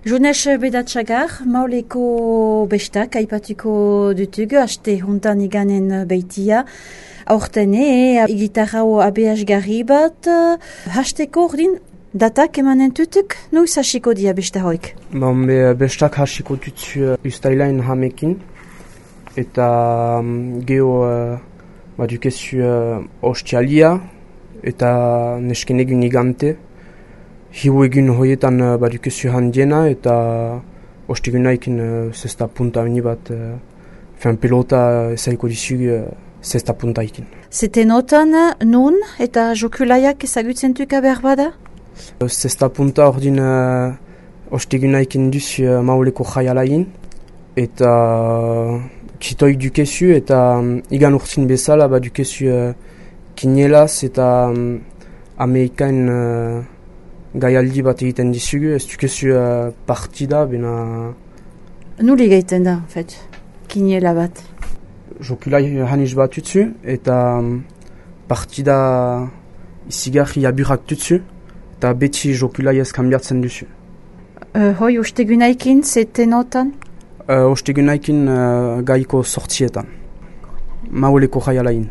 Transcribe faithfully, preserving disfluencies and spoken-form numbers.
Jones Bedatsagar, mauleko bestak aipatuko dutugu, haste huntan iganen beitia. Aurten e, igitarrao abeasgarri bat, hasteko ordin, datak emanen tutuk, noiz hasiko dia besta hoik? Bon, be, bestak hasiko tutu ustailain hamekin, eta um, geho uh, badukezu uh, ostialia, eta nesken egun igante. Hiu egun hoietan uh, badukezu handiena, eta ostegunaikin uh, zesta punta uni bat, uh, fin pelota ezaiko dizugu uh, zesta puntaikin. Zetenotan nun eta jokulaiak ezagutzentuka behar bada? Zesta punta ordin uh, ostegunaikin duzu uh, mauleko jaialain, eta uh, kitoik dukezu, eta um, igan urtzin bezala badukezu uh, kinelaz eta um, Amerikain uh, gaialdi bat egiten dizugu, ez dukezu uh, partida, bena... Nuli egiten da, en fait, kinela bat. Jokulai haniz bat tutsu, eta um, partida izigarri aburak tutsu, eta beti jokulai ez kambiatzen duzu. Uh, hoi, ostegunaikin, zetenotan? Uh, ostegunaikin uh, gaiko sortzietan, mauleko jaialain.